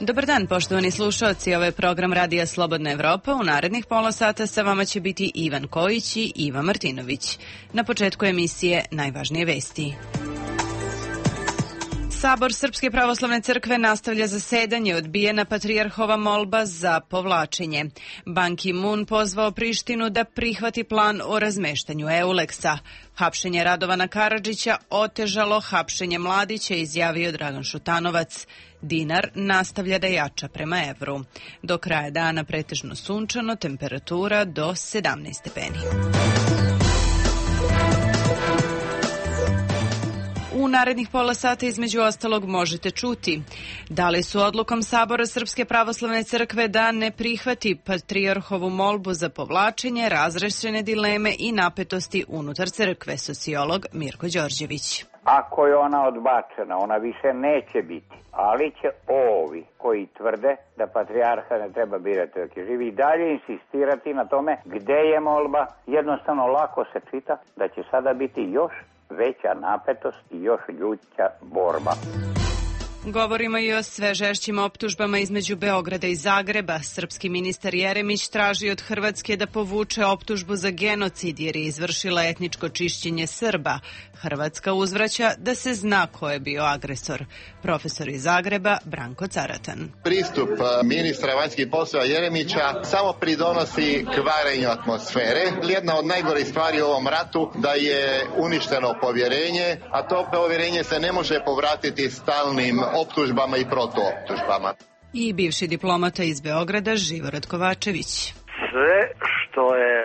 Dobar dan, poštovani slušalci. Ovo je program Radija Slobodna Evropa. U narednih pola sata sa vama će biti Ivan Kojić i Iva Martinović. Na početku emisije najvažnije vesti. Sabor Srpske pravoslavne crkve nastavlja zasedanje, odbijena patrijarhova molba za povlačenje. Ban Ki-moon pozvao Prištinu da prihvati plan o razmeštanju Euleksa. Hapšenje Radovana Karadžića otežalo hapšenje Mladića, izjavio Dragan Šutanovac. Dinar nastavlja da jača prema evru. Do kraja dana pretežno sunčano, temperatura do 17 stepeni. U narednih pola sata između ostalog možete čuti da li su odlukom Sabora Srpske pravoslavne crkve da ne prihvati patrijarhovu molbu za povlačenje, razrešene dileme i napetosti unutar crkve, sociolog Mirko Đorđević. Ako je ona odbačena, ona više neće biti, ali će ovi koji tvrde da patrijarha ne treba birati dok je živi i dalje insistirati na tome gde je molba, jednostavno lako se čita da će sada biti još veća napetost i još ljuća borba. Govorimo i o sve žešćim optužbama između Beograda i Zagreba. Srpski ministar Jeremić traži od Hrvatske da povuče optužbu za genocid jer je izvršila etničko čišćenje Srba. Hrvatska uzvraća da se zna ko je bio agresor. Profesor iz Zagreba Branko Caratan. Pristup ministra vanjskih poslova Jeremića samo pridonosi kvarenju atmosfere. Jedna od najgorih stvari u ovom ratu da je uništeno povjerenje, a to povjerenje se ne može povratiti stalnim optužbama i protuoptužbama. I bivši diplomata iz Beograda Živorad Kovačević. Sve što je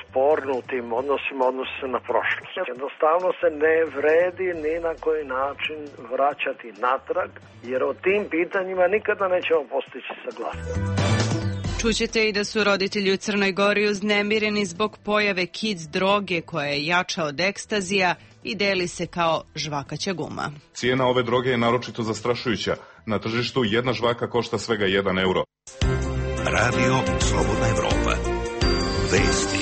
sporno u tim odnosima odnosi se na prošlost. Jednostavno se ne vredi ni na koji način vraćati natrag, jer o tim pitanjima nikada nećemo postići saglasnost. Čućete i da su roditelji u Crnoj Gori uznemireni zbog pojave kids droge koja je jača od ekstazija i deli se kao žvakaća guma. Cijena ove droge je naročito zastrašujuća. Na tržištu jedna žvaka košta svega 1 euro. Radio Slobodna Evropa. Vesti.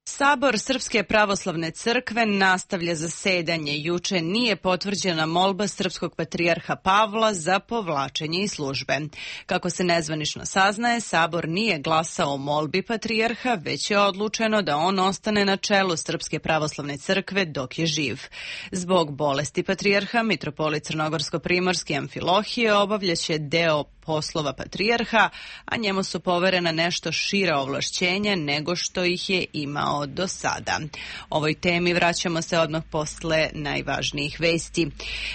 Sabor Srpske pravoslavne crkve nastavlja zasedanje. Juče nije potvrđena molba srpskog patrijarha Pavla za povlačenje iz službe. Kako se nezvanično saznaje, Sabor nije glasao o molbi patrijarha, već je odlučeno da on ostane na čelu Srpske pravoslavne crkve dok je živ. Zbog bolesti patrijarha, mitropolit Crnogorsko-primorski Amfilohije obavljaće deo poslova patrijarha, a njemu su poverena nešto šira ovlašćenja nego što ih je imao do sada. Ovoj temi vraćamo se odmah posle najvažnijih vesti.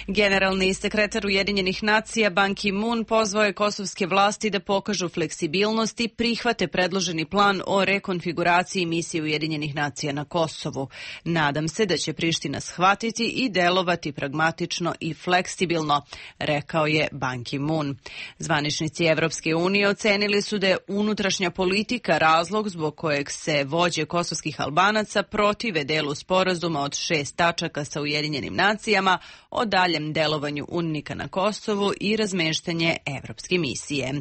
Generalni sekretar Ujedinjenih nacija Ban Ki-moon pozvao je kosovske vlasti da pokažu fleksibilnost i prihvate predloženi plan o rekonfiguraciji misije Ujedinjenih nacija na Kosovu. Nadam se da će Priština shvatiti i delovati pragmatično i fleksibilno, rekao je Ban Ki-moon. Zvaničnici Evropske unije ocenili su da je unutrašnja politika razlog zbog kojeg se vođe kosovskih Albanaca protive delu sporazuma od 6 tačaka sa Ujedinjenim nacijama o daljem delovanju UNMIK-a na Kosovu i razmeštanje evropske misije.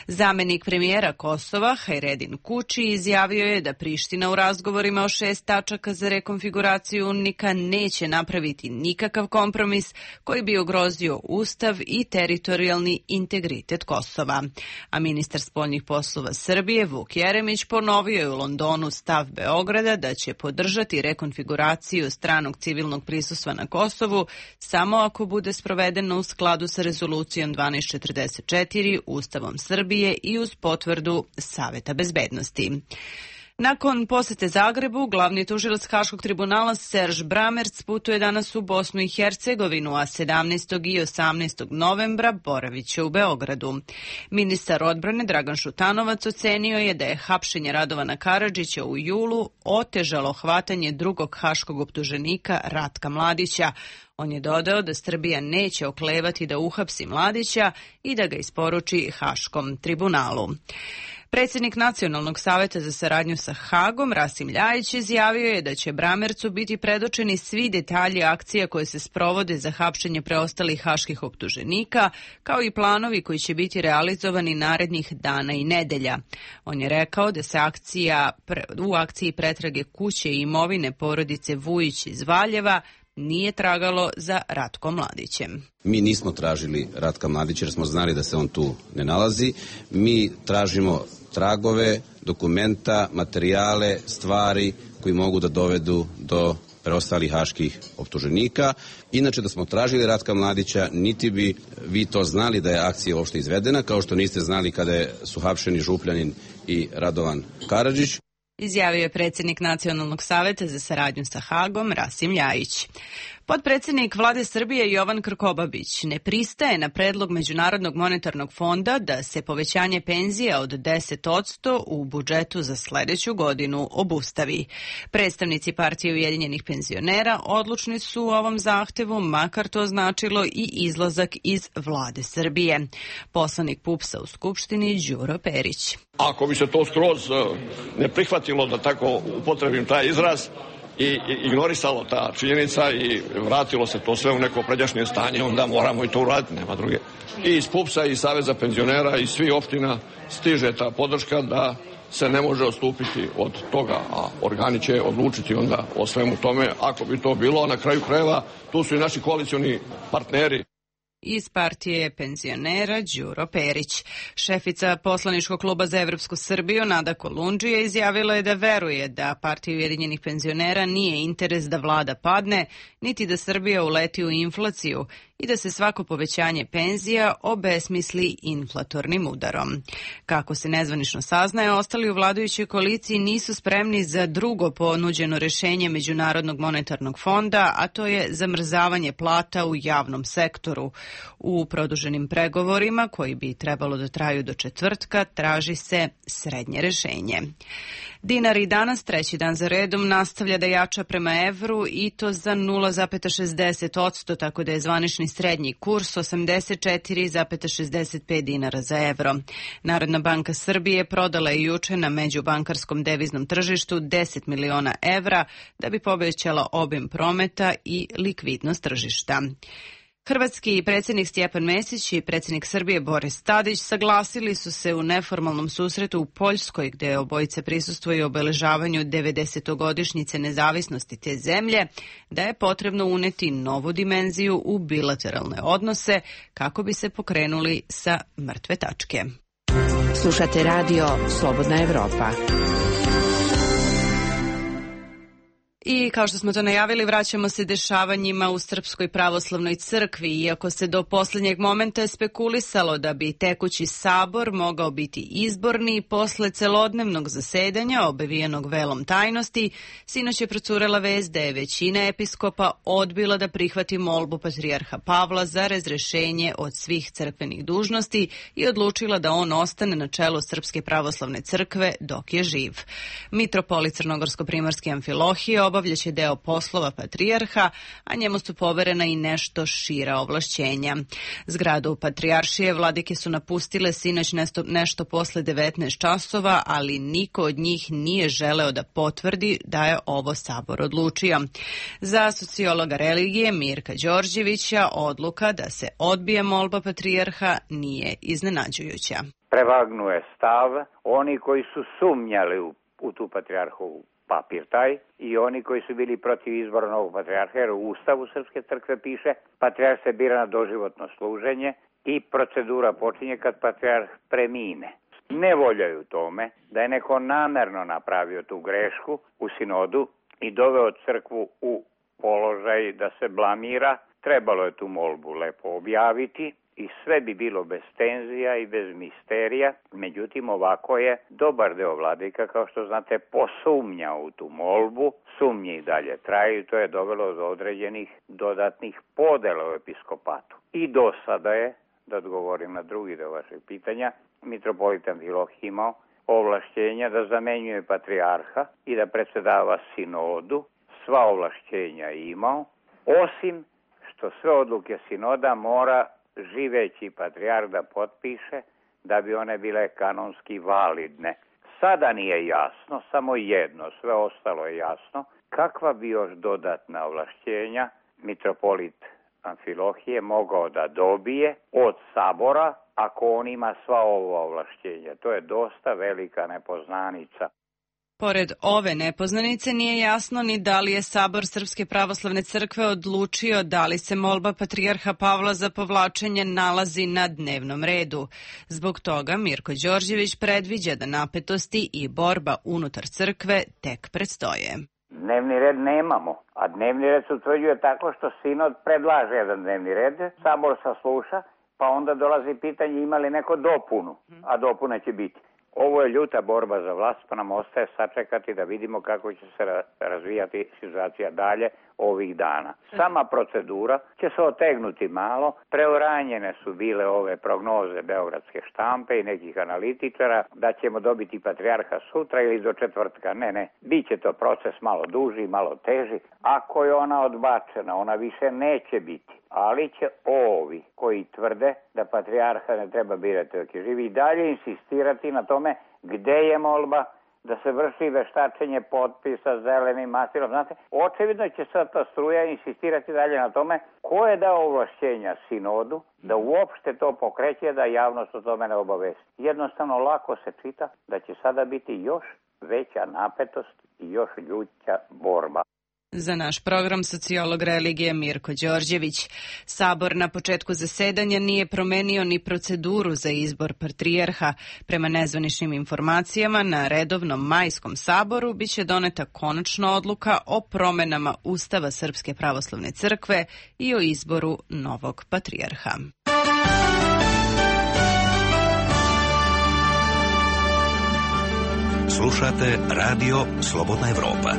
Zamenik premijera Kosova, Hajredin Kuči, izjavio je da Priština u razgovorima o 6 tačaka za rekonfiguraciju UNMIK-a neće napraviti nikakav kompromis koji bi ugrozio ustav i teritorijalni integritet Kosova. A ministar spoljnih poslova Srbije Vuk Jeremić ponovio je u Londonu stav Beograda da će podržati rekonfiguraciju stranog civilnog prisustva na Kosovu samo ako bude sprovedeno u skladu sa rezolucijom 1244, Ustavom Srbije i uz potvrdu Saveta bezbednosti. Nakon posete Zagrebu, glavni tužilac Haškog tribunala Serž Bramerc putuje danas u Bosnu i Hercegovinu, a 17. i 18. novembra boravit će u Beogradu. Ministar odbrane Dragan Šutanovac ocenio je da je hapšenje Radovana Karadžića u julu otežalo hvatanje drugog haškog optuženika Ratka Mladića. On je dodao da Srbija neće oklevati da uhapsi Mladića i da ga isporuči Haškom tribunalu. Predsjednik Nacionalnog saveta za saradnju sa Hagom, Rasim Ljajić, izjavio je da će Bramercu biti predočeni svi detalji akcija koje se sprovode za hapšenje preostalih haških optuženika, kao i planovi koji će biti realizovani narednih dana i nedelja. On je rekao da se u akciji pretrage kuće i imovine porodice Vujić iz Valjeva nije tragalo za Ratkom Mladićem. Mi nismo tražili Ratka Mladića jer smo znali da se on tu ne nalazi. Mi tražimo tragove, dokumenta, materijale, stvari koji mogu da dovedu do preostalih haških optuženika. Inače, da smo tražili Ratka Mladića, niti bi vi to znali da je akcija uopšte izvedena, kao što niste znali kada su hapšeni Župljanin i Radovan Karadžić. Izjavio je predsjednik Nacionalnog saveta za saradnju sa Hagom, Rasim Ljajić. Potpredsjednik Vlade Srbije Jovan Krkobabić ne pristaje na predlog Međunarodnog monetarnog fonda da se povećanje penzija od 10% u budžetu za sledeću godinu obustavi. Predstavnici Partije Ujedinjenih penzionera odlučni su u ovom zahtevu, makar to značilo i izlazak iz Vlade Srbije. Poslanik PUPS-a u Skupštini Đuro Perić. Ako bi se to skroz ne prihvatilo, da tako upotrebim taj izraz, i ignorisalo ta činjenica i vratilo se to sve u neko pređašnje stanje, onda moramo i to uraditi, nema druge. I iz PUPS-a i Saveza penzionera i svih opština stiže ta podrška da se ne može odstupiti od toga, a organi će odlučiti onda o svemu tome, ako bi to bilo, a na kraju krajeva tu su i naši koalicioni partneri. Iz Partije penzionera Đuro Perić. Šefica poslaničkog kluba za Evropsku Srbiju Nada Kolundžija izjavila je da veruje da Partija Ujedinjenih penzionera nije interes da vlada padne, niti da Srbija uleti u inflaciju i da se svako povećanje penzija obesmisli inflatornim udarom. Kako se nezvanično saznaje, ostali u vladajućoj koaliciji nisu spremni za drugo ponuđeno rešenje Međunarodnog monetarnog fonda, a to je zamrzavanje plata u javnom sektoru. U produženim pregovorima, koji bi trebalo da traju do četvrtka, traži se srednje rešenje. Dinar i danas, treći dan za redom, nastavlja da jača prema evru i to za 0,60%, tako da je zvanični srednji kurs 84,65 dinara za evro. Narodna banka Srbije prodala je juče na međubankarskom deviznom tržištu 10 miliona evra da bi povećala obim prometa i likvidnost tržišta. Hrvatski predsjednik Stjepan Mesić i predsjednik Srbije Boris Tadić saglasili su se u neformalnom susretu u Poljskoj, gde obojice prisustvuju obeležavanju 90-godišnjice nezavisnosti te zemlje, da je potrebno uneti novu dimenziju u bilateralne odnose kako bi se pokrenuli sa mrtve tačke. Slušate radio Slobodna Evropa. I kao što smo to najavili, vraćamo se dešavanjima u Srpskoj pravoslavnoj crkvi. Iako se do posljednjeg momenta spekulisalo da bi tekući sabor mogao biti izborni, posle celodnevnog zasedanja, obavijenog velom tajnosti, sinoć je procurela vest da je većina episkopa odbila da prihvati molbu patrijarha Pavla za razrešenje od svih crkvenih dužnosti i odlučila da on ostane na čelu Srpske pravoslavne crkve dok je živ. Mitropolit Crnogorsko-primorski Amfilohije obavljaće deo poslova patrijarha, a njemu su poverena i nešto šira ovlašćenja. Zgradu patrijaršije vladike su napustile sinoć nešto posle 19 časova, ali niko od njih nije želeo da potvrdi da je ovo sabor odlučio. Za sociologa religije Mirka Đorđevića odluka da se odbije molba patrijarha nije iznenađujuća. Prevagnuje stav oni koji su sumnjali u tu patrijarhovu papir taj i oni koji su bili protiv izbora novog patrijarha, jer u Ustavu Srpske crkve piše patrijarh se bira na doživotno služenje i procedura počinje kad patrijarh premine. Ne voljaju tome da je neko namerno napravio tu grešku u sinodu i doveo crkvu u položaj da se blamira. Trebalo je tu molbu lepo objaviti i sve bi bilo bez tenzija i bez misterija. Međutim, ovako je dobar deo vladika, kao što znate, posumnjao u tu molbu. Sumnje i dalje traju i to je dovelo do određenih dodatnih podela u episkopatu. I do sada je, da odgovorim na drugi deo vašeg pitanja, mitropolit Amfilohije imao ovlašćenja da zamenjuje patrijarha i da predsedava sinodu. Sva ovlašćenja imao, osim što sve odluke sinoda mora živeći patrijarh da potpiše da bi one bile kanonski validne. Sada nije jasno, samo jedno, sve ostalo je jasno, kakva bi još dodatna ovlašćenja mitropolit Amfilohije mogao da dobije od sabora ako on ima sva ova ovlašćenja. To je dosta velika nepoznanica. Pored ove nepoznanice nije jasno ni da li je Sabor Srpske pravoslavne crkve odlučio da li se molba patrijarha Pavla za povlačenje nalazi na dnevnom redu. Zbog toga Mirko Đorđević predviđa da napetosti i borba unutar crkve tek predstoje. Dnevni red nemamo, a dnevni red se utvrđuje tako što sinod predlaže jedan dnevni red, Sabor sasluša, pa onda dolazi pitanje ima li neko dopunu, a dopuna će biti. Ovo je ljuta borba za vlast, pa nam ostaje sačekati da vidimo kako će se razvijati situacija dalje ovih dana. Sama procedura će se otegnuti malo, preuranjene su bile ove prognoze beogradske štampe i nekih analitičara da ćemo dobiti patrijarha sutra ili do četvrtka. Ne, biće to proces malo duži, malo teži. Ako je ona odbačena, ona više neće biti. Ali će ovi koji tvrde da patrijarha ne treba birati dok je živi i dalje insistirati na tome gde je molba, da se vrši veštačenje potpisa zelenim mastilom. Znate, očevidno će sad ta struja insistirati dalje na tome ko je dao ovlašćenja sinodu da uopšte to pokreće, da javnost o tome ne obavesti. Jednostavno lako se čita da će sada biti još veća napetost i još ljuća borba. Za naš program sociolog religije Mirko Đorđević. Sabor na početku zasedanja nije promenio ni proceduru za izbor patrijarha. Prema nezvaničnim informacijama, na redovnom majskom saboru biće doneta konačna odluka o promenama Ustava Srpske pravoslavne crkve i o izboru novog patrijarha. Slušate Radio Slobodna Evropa.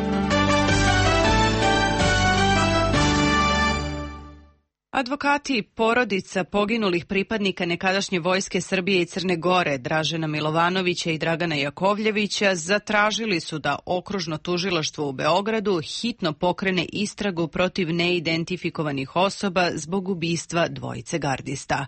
Advokati porodica poginulih pripadnika nekadašnje vojske Srbije i Crne Gore, Dražena Milovanovića i Dragana Jakovljevića, zatražili su da Okružno tužilaštvo u Beogradu hitno pokrene istragu protiv neidentifikovanih osoba zbog ubistva dvojice gardista.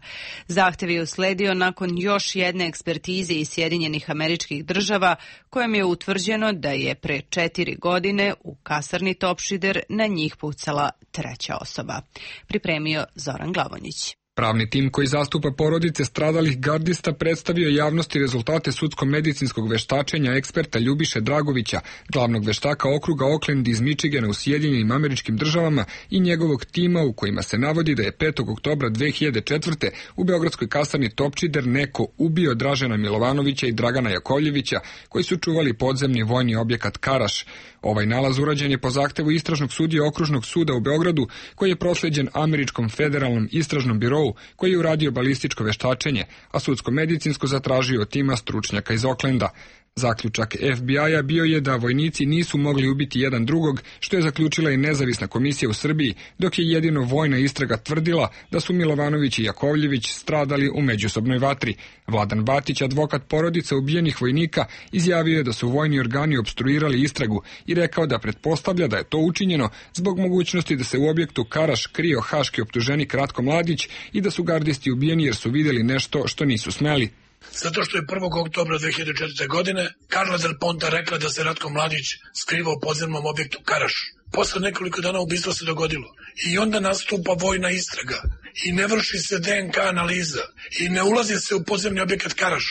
Zahtev je usledio nakon još jedne ekspertize iz Sjedinjenih Američkih Država, kojem je utvrđeno da je pre 4 godine u kasarni Topšider na njih pucala treća osoba. Pripremio Zoran Glavonjić. Pravni tim koji zastupa porodice stradalih gardista predstavio javnosti rezultate sudsko-medicinskog veštačenja eksperta Ljubiše Dragovića, glavnog veštaka okruga Oakland iz Michigana u Sjedinjenim Američkim Državama i njegovog tima u kojima se navodi da je 5. oktobra 2004. u beogradskoj kasarni Topčider neko ubio Dražena Milovanovića i Dragana Jakovljevića koji su čuvali podzemni vojni objekat Karaš. Ovaj nalaz urađen je po zahtevu istražnog sudije Okružnog suda u Beogradu koji je prosleđen Američkom federalnom istražnom birovu koji je uradio balističko veštačenje, a sudsko-medicinsko zatražio tima stručnjaka iz Oaklanda. Zaključak FBI-a bio je da vojnici nisu mogli ubiti jedan drugog, što je zaključila i nezavisna komisija u Srbiji, dok je jedino vojna istraga tvrdila da su Milovanović i Jakovljević stradali u međusobnoj vatri. Vladan Batić, advokat porodice ubijenih vojnika, izjavio je da su vojni organi opstruirali istragu i rekao da pretpostavlja da je to učinjeno zbog mogućnosti da se u objektu Karaš krio haški optuženik Ratko Mladić i da su gardisti ubijeni jer su vidjeli nešto što nisu smeli. Zato što je 1. oktobra 2004. godine Karla Del Ponta rekla da se Ratko Mladić skrivao u podzemnom objektu Karaš. Posle nekoliko dana ubistvo se dogodilo i onda nastupa vojna istraga i ne vrši se DNK analiza i ne ulazi se u podzemni objekat Karaš.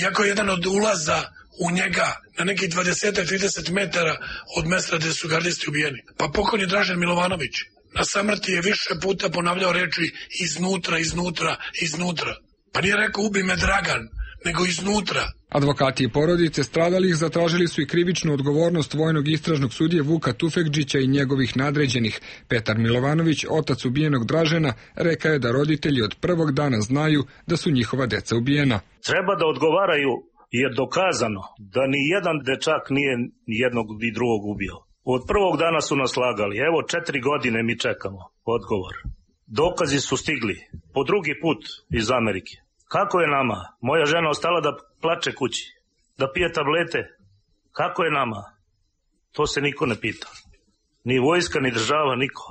Iako je jedan od ulaza u njega na nekih 20-30 metara od mesta gde su gardisti ubijeni. Pa pokojni Dražen Milovanović na samrti je više puta ponavljao reči iznutra, iznutra, iznutra. Pa nije rekao ubi me Dragan, nego iznutra. Advokati i porodice stradalih zatražili su i krivičnu odgovornost vojnog istražnog sudije Vuka Tufekđića i njegovih nadređenih. Petar Milovanović, otac ubijenog Dražena, rekao je da roditelji od prvog dana znaju da su njihova deca ubijena. Treba da odgovaraju jer dokazano da ni jedan dečak nije jednog i drugog ubio. Od prvog dana su nas lagali. Evo 4 godine mi čekamo odgovor. Dokazi su stigli po drugi put iz Amerike. Kako je nama? Moja žena ostala da plače kući, da pije tablete. Kako je nama? To se niko ne pita. Ni vojska, ni država, niko.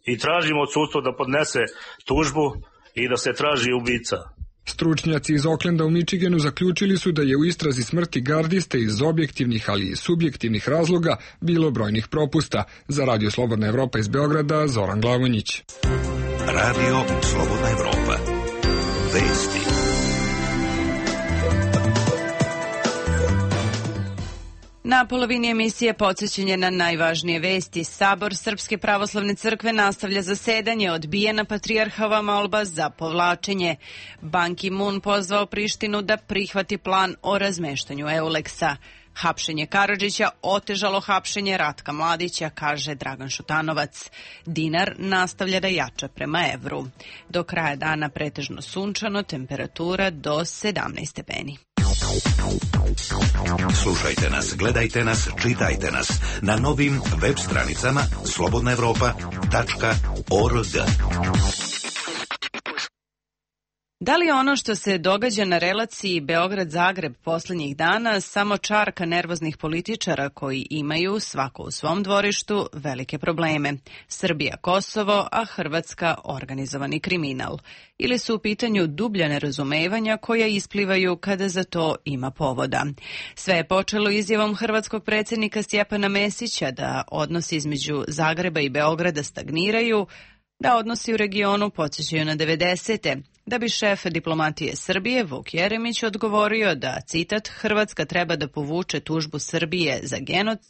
I tražimo od sudstva da podnese tužbu i da se traži ubica. Stručnjaci iz Oaklanda u Michiganu zaključili su da je u istrazi smrti gardiste iz objektivnih, ali i subjektivnih razloga bilo brojnih propusta. Za Radio Slobodna Evropa iz Beograda, Zoran Glavonjić. Radio Slobodna Evropa. Vesti. Na polovini emisije podsjećanje na najvažnije vesti. Sabor Srpske pravoslavne crkve nastavlja zasedanje, odbijena patrijarhova molba za povlačenje. Ban Ki-moon pozvao Prištinu da prihvati plan o razmeštanju Euleksa. Hapšenje Karadžića otežalo hapšenje Ratka Mladića, kaže Dragan Šutanovac. Dinar nastavlja da jača prema evru. Do kraja dana pretežno sunčano, temperatura do 17 stepeni. Slušajte nas, gledajte nas, čitajte nas na novim web stranicama slobodnaevropa.org. Da li ono što se događa na relaciji Beograd-Zagreb posljednjih dana samo čarka nervoznih političara koji imaju, svako u svom dvorištu, velike probleme? Srbija Kosovo, a Hrvatska organizovani kriminal. Ili su u pitanju dublja nerazumevanja koja isplivaju kada za to ima povoda? Sve je počelo izjavom hrvatskog predsjednika Stjepana Mesića da odnosi između Zagreba i Beograda stagniraju, da odnosi u regionu podsjećaju na 90. Da bi šef diplomatije Srbije, Vuk Jeremić, odgovorio da, citat, Hrvatska treba da povuče tužbu Srbije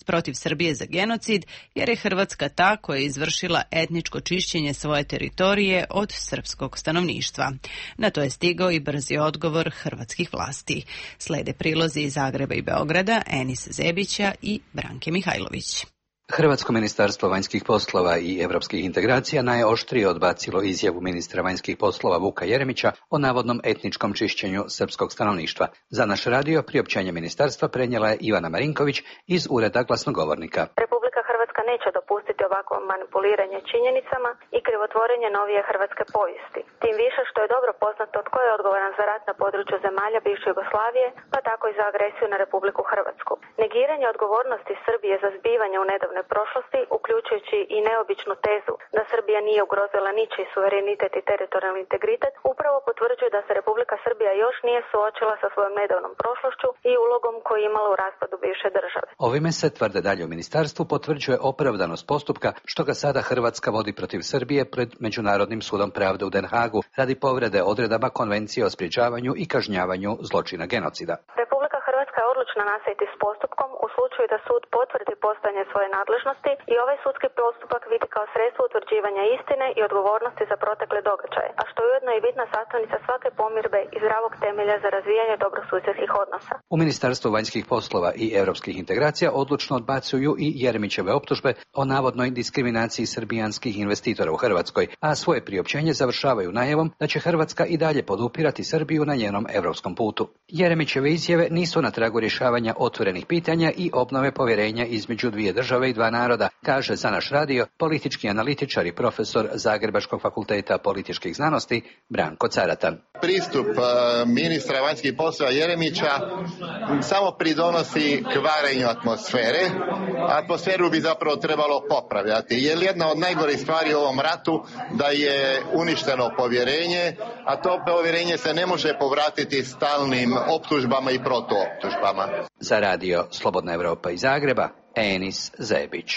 protiv Srbije za genocid, jer je Hrvatska ta koja je izvršila etničko čišćenje svoje teritorije od srpskog stanovništva. Na to je stigao i brzi odgovor hrvatskih vlasti. Slede prilozi iz Zagreba i Beograda, Enisa Zebića i Branke Mihajlović. Hrvatsko ministarstvo vanjskih poslova i europskih integracija najoštrije odbacilo izjavu ministra vanjskih poslova Vuka Jeremića o navodnom etničkom čišćenju srpskog stanovništva. Za naš radio priopćenje ministarstva prenijela je Ivana Marinković iz Ureda glasnogovornika. Republika Hrvatska neće dopustiti ovakvo manipuliranje činjenicama i krivotvorenje novije hrvatske povijesti. Tim više što je dobro poznato tko je odgovoran za rat na području zemalja bivše Jugoslavije, pa tako i za agresiju na Republiku Hrvatsku. Negiranje odgovornosti Srbije za zbivanje u nedavnoj prošlosti, uključujući i neobičnu tezu da Srbija nije ugrozila ničiji suverenitet i teritorijalni integritet, upravo potvrđuje da se Republika Srbija još nije suočila sa svojom nedavnom prošlošću i ulogom koju je imala u raspadu bivše države. Ovime se, tvrde dalje u ministarstvu, potvrđuje opravdanost postupka što ga sada Hrvatska vodi protiv Srbije pred Međunarodnim sudom pravde u Den Hagu radi povrede odredaba Konvencije o sprječavanju i kažnjavanju zločina genocida. Republika Hrvatska je odlučna nastaviti s postupkom u slučaju da sud potvrdi postojanje svoje nadležnosti i ovaj sudski postupak vidi kao sredstvo utvrđivanja istine i odgovornosti za protekle događaje, a što je ujedno i bitna sastavnica svake pomirbe i zdravog temelja za razvijanje dobrosusjedskih odnosa. U Ministarstvu vanjskih poslova i europskih integracija odlučno odbacuju i Jeremićeve optužbe o navodnoj diskriminaciji srbijanskih investitora u Hrvatskoj, a svoje priopćenje završavaju najavom da će Hrvatska i dalje podupirati Srbiju na njenom europskom putu. Jeremićeve izjave nisu na tragu rješavanja otvorenih pitanja i obnove povjerenja između dvije države i dva naroda, kaže za naš radio politički analitičar i profesor Zagrebačkog fakulteta političkih znanosti Branko Caratan. Pristup ministra vanjskih poslova Jeremića samo pridonosi kvarenju atmosfere. Atmosferu bi zapravo trebalo popravljati, jer jedna od najgorih stvari u ovom ratu da je uništeno povjerenje, a to povjerenje se ne može povratiti stalnim optužbama i protuoptužbama. Za radio Slobodna Evropa iz Zagreba, Enis Zebić.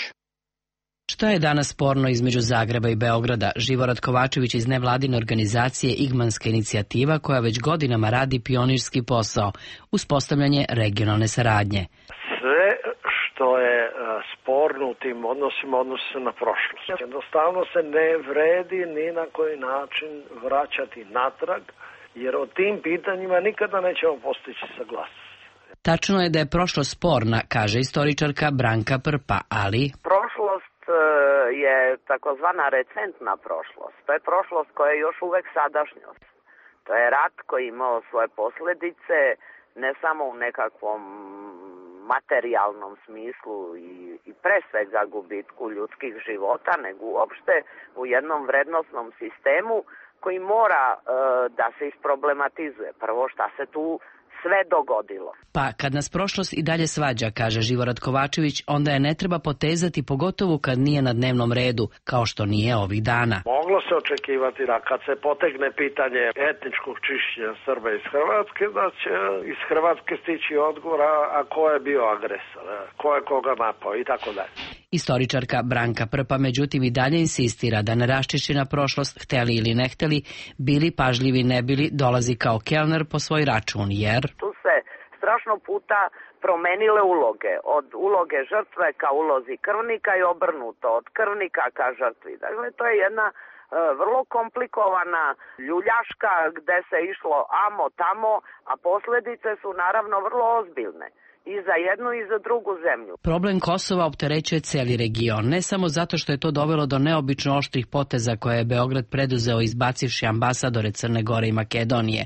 Šta je danas sporno između Zagreba i Beograda? Živorad Kovačević iz nevladine organizacije Igmanska inicijativa koja već godinama radi pionirski posao, uspostavljanje regionalne saradnje. Sve što je sporno u tim odnosima odnosi se na prošlost. Jednostavno se ne vredi ni na koji način vraćati natrag, jer o tim pitanjima nikada nećemo postići saglasnost. Tačno je da je prošlost sporna, kaže istoričarka Branka Prpa, ali prošlost je takozvana recentna prošlost. To je prošlost koja je još uvek sadašnjost. To je rat koji je imao svoje posljedice ne samo u nekakvom materijalnom smislu i pre svega gubitku ljudskih života, nego uopšte u jednom vrednosnom sistemu koji mora da se isproblematizuje. Prvo šta se tu sve dogodilo. Pa kad nas prošlost i dalje svađa, kaže Živorad Kovačević, onda je ne treba potezati, pogotovo kad nije na dnevnom redu, kao što nije ovih dana. Moglo se očekivati da kad se potegne pitanje etničkog čišćenja Srba iz Hrvatske, da će iz Hrvatske stići odgovor, a ko je bio agresor, ko je koga napao i tako dalje. Istoričarka Branka Prpa međutim i dalje insistira da neraščišćena prošlost, hteli ili ne hteli, bili pažljivi ne bili, dolazi kao kelner po svoj račun, jer tu se strašno puta promenile uloge. Od uloge žrtve ka ulozi krvnika i obrnuto, od krvnika ka žrtvi. Dakle, to je jedna vrlo komplikovana ljuljaška gde se išlo amo tamo, a posljedice su naravno vrlo ozbiljne. I za jednu i za drugu zemlju. Problem Kosova opterećuje cijeli region, ne samo zato što je to dovelo do neobično oštrih poteza koje je Beograd preduzeo izbacivši ambasadore Crne Gore i Makedonije.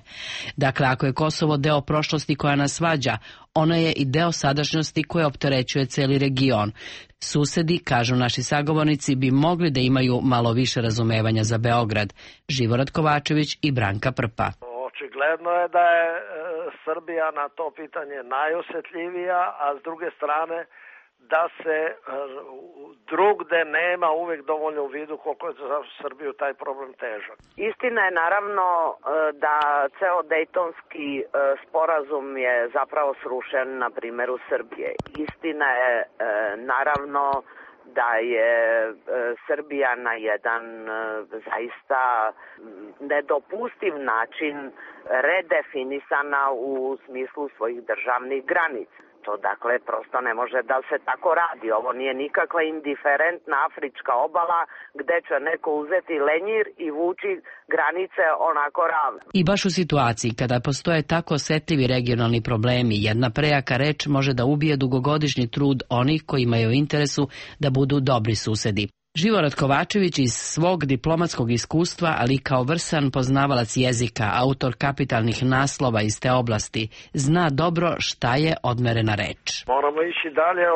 Dakle, ako je Kosovo deo prošlosti koja nas svađa, ono je i deo sadašnjosti koja opterećuje cijeli region. Susedi, kažu naši sagovornici, bi mogli da imaju malo više razumevanja za Beograd. Živorad Kovačević i Branka Prpa. Očigledno je da je Srbija na to pitanje najosjetljivija, a s druge strane da se drugde nema uvijek dovoljno u vidu koliko je za Srbiju taj problem težak. Istina je naravno da ceo Dejtonski sporazum je zapravo srušen na primjeru Srbije. Istina je naravno da je Srbija na jedan zaista nedopustiv način redefinisana u smislu svojih državnih granica. To dakle prosto ne može da se tako radi. Ovo nije nikakva indiferentna afrička obala gde će neko uzeti lenjir i vući granice onako ravno. I baš u situaciji kada postoje tako osetljivi regionalni problemi, jedna prejaka reč može da ubije dugogodišnji trud onih koji imaju interesu da budu dobri susedi. Živorad Kovačević iz svog diplomatskog iskustva, ali kao vrsan poznavalac jezika, autor kapitalnih naslova iz te oblasti, zna dobro šta je odmerena reč. Moramo ići dalje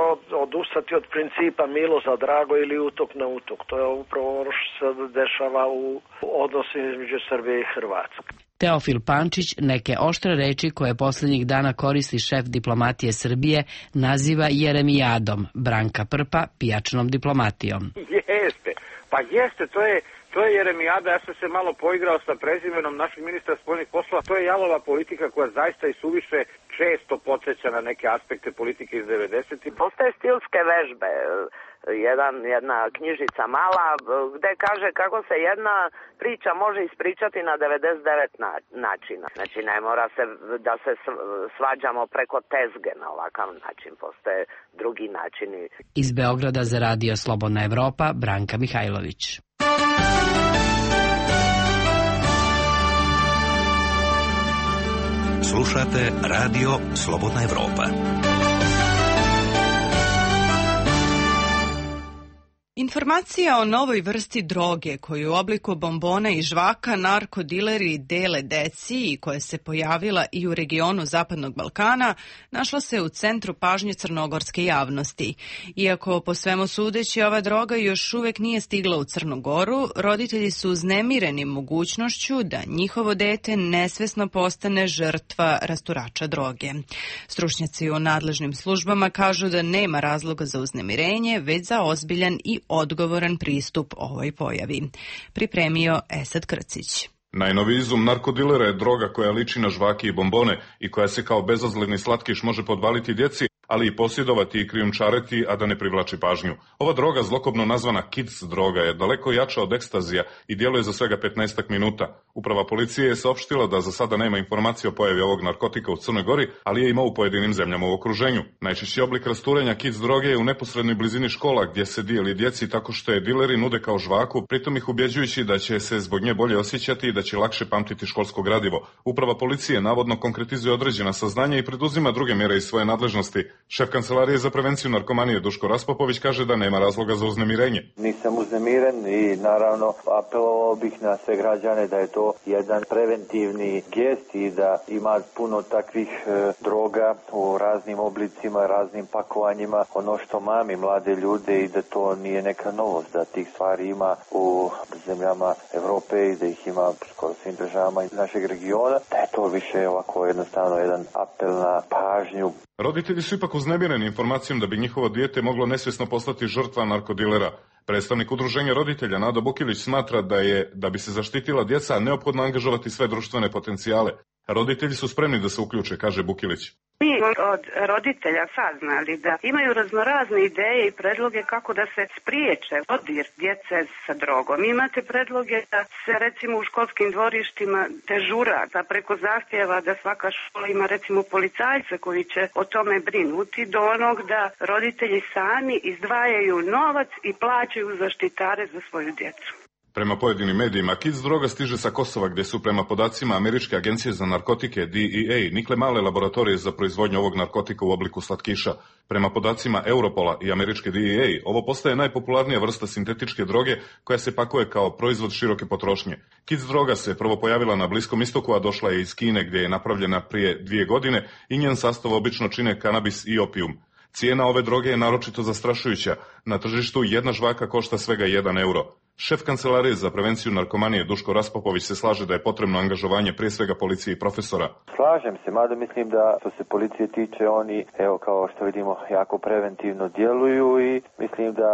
odustati od principa milo za drago ili utok na utok. To je upravo ono što se dešava u odnosima između Srbije i Hrvatske. Teofil Pančić neke oštre reči koje posljednjih dana koristi šef diplomatije Srbije naziva jeremijadom, Branka Prpa pijačnom diplomatijom. Jeste, to je jeremijada. Ja sam se malo poigrao sa prezimenom našeg ministra spoljnih poslova. To je jalova politika koja zaista i suviše često podsjeća na neke aspekte politike iz 90-ih. Postoje stilske vežbe. Jedna knjižica mala gde kaže kako se jedna priča može ispričati na 99 načina. Znači ne mora se da se svađamo preko tezge na ovakav način, postoje drugi načini. Iz Beograda za Radio Slobodna Evropa, Branka Mihajlović. Slušate Radio Slobodna Evropa. Informacija o novoj vrsti droge koju u obliku bombona i žvaka narkodileri dele deci i koja se pojavila i u regionu Zapadnog Balkana našla se u centru pažnje crnogorske javnosti. Iako po svemu sudeći ova droga još uvijek nije stigla u Crnu Goru, roditelji su uznemireni mogućnošću da njihovo dete nesvesno postane žrtva rasturača droge. Stručnjaci u nadležnim službama kažu da nema razloga za uznemirenje, već za ozbiljan i odgovoran pristup ovoj pojavi. Pripremio Esad Krcić. Najnoviji izum narkodilera je droga koja liči na žvake i bombone i koja se kao bezazleni slatkiš može podvaliti djeci, ali i posjedovati i krijumčariti, a da ne privlači pažnju. Ova droga, zlokobno nazvana kids droga, je daleko jača od ekstazija i djeluje za svega 15 minuta. Uprava policije je saopštila da za sada nema informacije o pojavi ovog narkotika u Crnoj Gori, ali je ima u pojedinim zemljama u okruženju. Najčešći oblik rasturenja kids droge je u neposrednoj blizini škola gdje se dijeli djeci tako što je dileri nude kao žvaku, pritom ih ubjeđujući da će se zbog nje bolje osjećati i da će lakše pamtiti školsko gradivo. Uprava policije navodno konkretizuje određena saznanja i preduzima druge mjere iz svoje nadležnosti. Šef Kancelarije za prevenciju narkomanije Duško Raspopović kaže da nema razloga za uznemirenje. Nisam uznemiren i naravno apelovao bih na sve građane da je to jedan preventivni gest i da ima puno takvih droga u raznim oblicima, raznim pakovanjima. Ono što mami mlade ljude i da to nije neka novost, da tih stvari ima u zemljama Evrope i da ih ima skoro svim državama iz našeg regiona, da je to više ovako jednostavno jedan apel na pažnju. Roditelji su ipak uznemireni informacijom da bi njihovo dijete moglo nesvjesno postati žrtva narkodilera. Predstavnik udruženja roditelja Nado Bukilić smatra da bi se zaštitila djeca neophodno angažovati sve društvene potencijale. Roditelji su spremni da se uključe, kaže Bukilić. Mi od roditelja saznali da imaju raznorazne ideje i predloge kako da se spriječe dodir djece sa drogom. Imate predloge da se recimo u školskim dvorištima dežura, da preko zahtjeva da svaka škola ima recimo policajce koji će o tome brinuti, do onog da roditelji sami izdvajaju novac i plaćaju zaštitare za svoju djecu. Prema pojedinim medijima, kids droga stiže sa Kosova, gdje su prema podacima Američke agencije za narkotike DEA nikle male laboratorije za proizvodnju ovog narkotika u obliku slatkiša. Prema podacima Europola i Američke DEA, ovo postaje najpopularnija vrsta sintetičke droge koja se pakuje kao proizvod široke potrošnje. Kids droga se prvo pojavila na Bliskom istoku, a došla je iz Kine, gdje je napravljena prije 2 godine i njen sastav obično čine kanabis i opijum. Cijena ove droge je naročito zastrašujuća. Na tržištu jedna žvaka košta svega 1 euro. Šef kancelarije za prevenciju narkomanije Duško Raspopović se slaže da je potrebno angažovanje prije svega policije i profesora. Slažem se, mada mislim da što se policije tiče, oni, evo kao što vidimo, jako preventivno djeluju i mislim da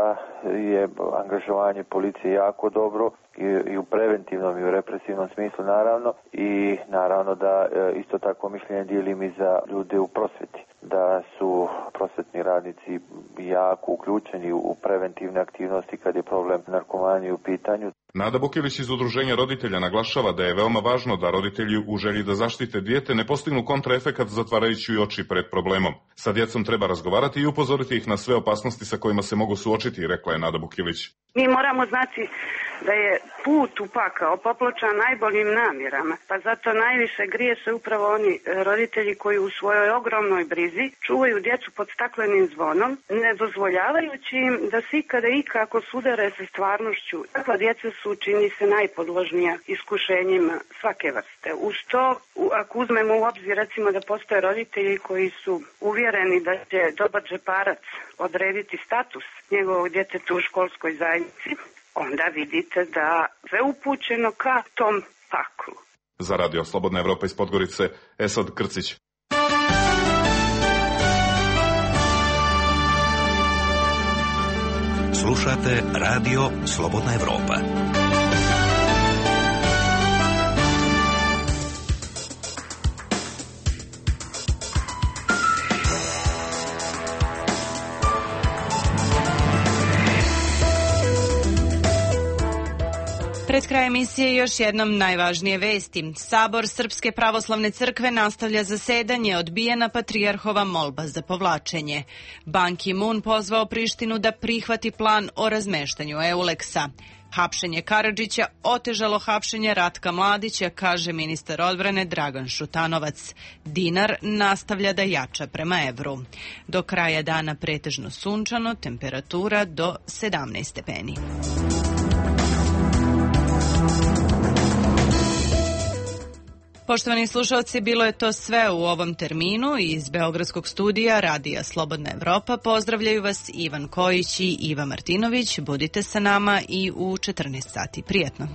je angažovanje policije jako dobro i u preventivnom i u represivnom smislu naravno, i naravno da isto tako mišljenje dijelim i za ljude u prosvjeti, da su prosvjetni radnici jako uključeni u preventivne aktivnosti kad je problem narkomanije u pitanju. Nada Bukilić iz Udruženja roditelja naglašava da je veoma važno da roditelji u želji da zaštite dijete ne postignu kontraefekat zatvarajući oči pred problemom. Sa djecom treba razgovarati i upozoriti ih na sve opasnosti sa kojima se mogu suočiti, rekla je Nada Bukilić. Mi moramo znati da je put u pakao popločan najboljim namjerama, pa zato najviše griješe upravo oni roditelji koji u svojoj ogromnoj brizi čuvaju djecu pod staklenim zvonom, ne dozvoljavajući im da se ikada ikako sudare sa stvarnošću. Takva djeca su, čini se, najpodložnija iskušenjima svake vrste. Uz to, ako uzmemo u obzir recimo da postoje roditelji koji su uvjereni da će dobar džeparac odrediti status njegovog djeteta u školskoj zajednici, onda vidite da sve upućeno ka tom paklu. Za Radio Slobodna Evropa iz Podgorice, Esad Krcić. Slušate Radio Slobodna Evropa. Pred kraj emisije još jednom najvažnije vesti. Sabor Srpske pravoslavne crkve nastavlja zasedanje, odbijena patrijarhova molba za povlačenje. Ban Ki-moon pozvao Prištinu da prihvati plan o razmeštanju Euleksa. Hapšenje Karadžića otežalo hapšenje Ratka Mladića, kaže ministar odbrane Dragan Šutanovac. Dinar nastavlja da jača prema evru. Do kraja dana pretežno sunčano, temperatura do 17 stepeni. Poštovani slušalci, bilo je to sve u ovom terminu. Iz Beogradskog studija Radija Slobodna Evropa pozdravljaju vas Ivan Kojić i Iva Martinović. Budite sa nama i u 14 sati. Prijetno.